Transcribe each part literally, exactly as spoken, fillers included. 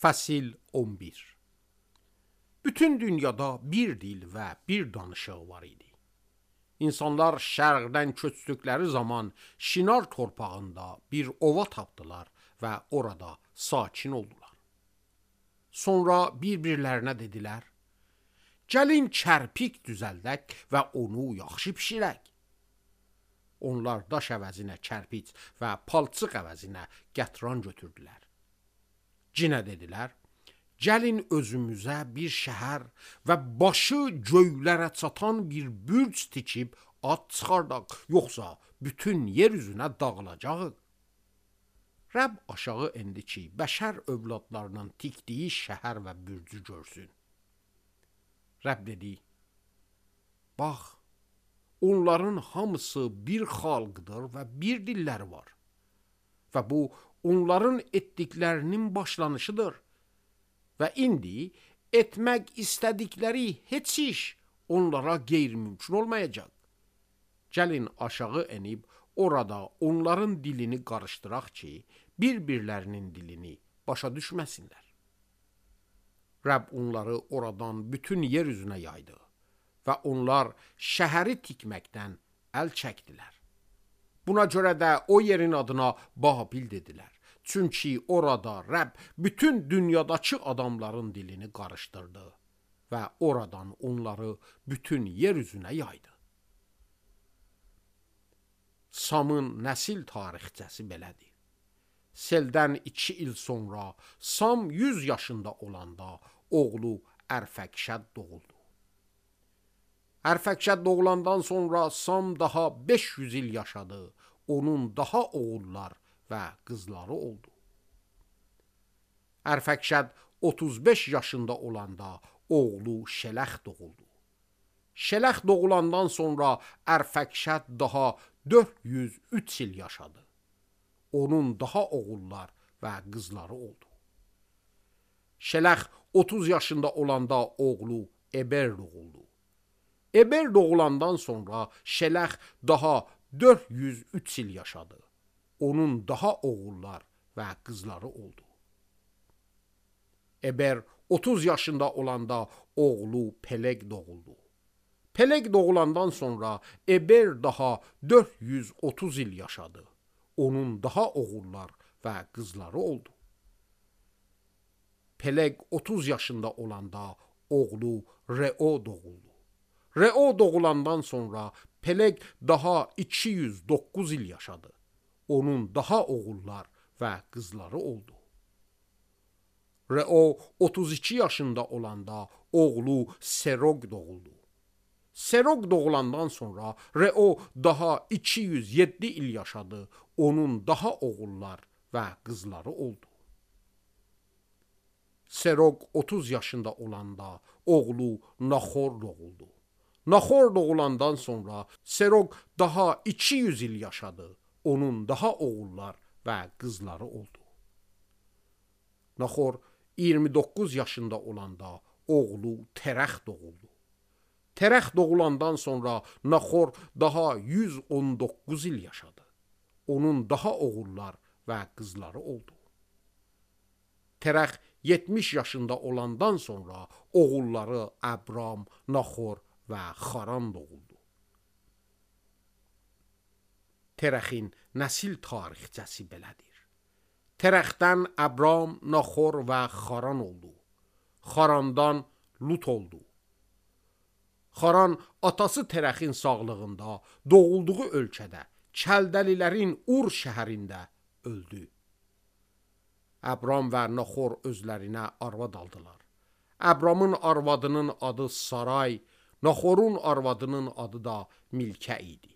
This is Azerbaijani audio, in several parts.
Fəsil on bir. Bütün dünyada bir dil və bir danışıq var idi. İnsanlar şərqdən köçdükləri zaman Şinar torpağında bir ova tapdılar və orada sakin oldular. Sonra bir-birlərinə dedilər, gəlin çərpik düzəldək və onu yaxşı bişirək. Onlar daş əvəzinə çərpic və palçıq əvəzinə qətran götürdülər. Cinə dedilər, gəlin özümüzə bir şəhər və başı göylərə çatan bir bürc tikib ad çıxardaq, yoxsa bütün yer üzünə dağılacaq. Rəbb aşağı endi ki, bəşər övladlarının tikdiyi şəhər və bürcü görsün. Rəbb dedi, bax, onların hamısı bir xalqdır və bir dilləri var. Və bu, onların etdiklərinin başlanışıdır. Və indi etmək istədikləri heç iş onlara qeyri-mümkün olmayacaq. Gəlin aşağı enib orada onların dilini qarışdıraq ki, bir-birlərinin dilini başa düşməsinlər. Rəbb onları oradan bütün yer üzünə yaydı və onlar şəhəri tikməkdən əl çəkdilər. Buna görə də o yerin adına Babil dedilər. Çünki orada Rəbb bütün dünyadakı adamların dilini qarışdırdı və oradan onları bütün yer üzünə yaydı. Samın nəsil tarixçəsi belədir. Seldən iki il sonra Sam yüz yaşında olanda oğlu Ərfəkşəd doğuldu. Ərfəkşəd doğulandan sonra Sam daha beş yüz il yaşadı. Onun daha oğullar və qızları oldu. Ərfəkşəd otuz beş yaşında olanda oğlu Şələx doğuldu. Şələx doğulandan sonra Ərfəkşəd daha dörd yüz üç il yaşadı. Onun daha oğullar və qızları oldu. Şələx otuz yaşında olanda oğlu Eber doğuldu. Eber doğulandan sonra Şələx daha dörd yüz üç il yaşadı. Onun daha oğullar və qızları oldu. Eber otuz yaşında olanda oğlu Peleg doğuldu. Peleg doğulandan sonra Eber daha dörd yüz otuz il yaşadı. Onun daha oğullar və qızları oldu. Peleg otuz yaşında olanda oğlu Reo doğuldu. Reo doğulandan sonra Peleg daha iki yüz doqquz il yaşadı. Onun daha oğullar və qızları oldu. Reo otuz iki yaşında olanda oğlu Serog doğuldu. Serog doğulandan sonra Reo daha iki yüz yeddi il yaşadı. Onun daha oğullar və qızları oldu. Serog otuz yaşında olanda oğlu Naxor doğuldu. Naxor doğulandan sonra Serog daha iki yüz il yaşadı. Onun daha oğullar və qızları oldu. Naxor iyirmi doqquz yaşında olanda oğlu Terəx doğuldu. Terəx doğulandan sonra Naxor daha yüz on doqquz il yaşadı. Onun daha oğullar və qızları oldu. Terəx yetmiş yaşında olandan sonra oğulları Əbram, Naxor və Xaran doğuldu. Terəxin nəsil tarixçəsi belədir. Terəxdən Əbram, Naxor və Xaran oldu. Xarandan Lut oldu. Xaran atası Terəxin sağlığında doğulduğu ölkədə Kəldəlilərin Ur şəhərində öldü. Əbram və Naxor özlərinə arvad aldılar. Əbramın arvadının adı Saray, Naxorun arvadının adı da Milkə idi.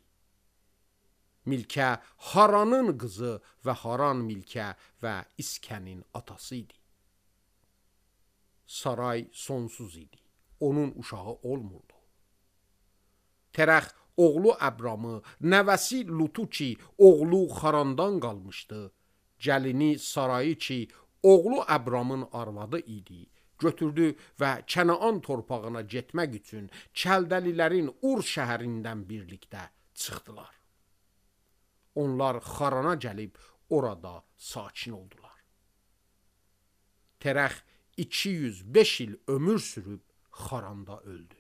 Milkə Haranın qızı və Haran Milkə və İskənin atası idi. Saray sonsuz idi. Onun uşağı olmurdu. Terəx oğlu Əbramı, nəvəsi Lutu ki, oğlu Xarandan qalmışdı, gəlini Sarayı ki, oğlu Əbramın arvadı idi, götürdü və Kənaan torpağına getmək üçün Kəldəlilərin Ur şəhərindən birlikdə çıxdılar. Onlar Xarana gəlib orada sakin oldular. Terəx iki yüz beş il ömür sürüb xaranda öldü.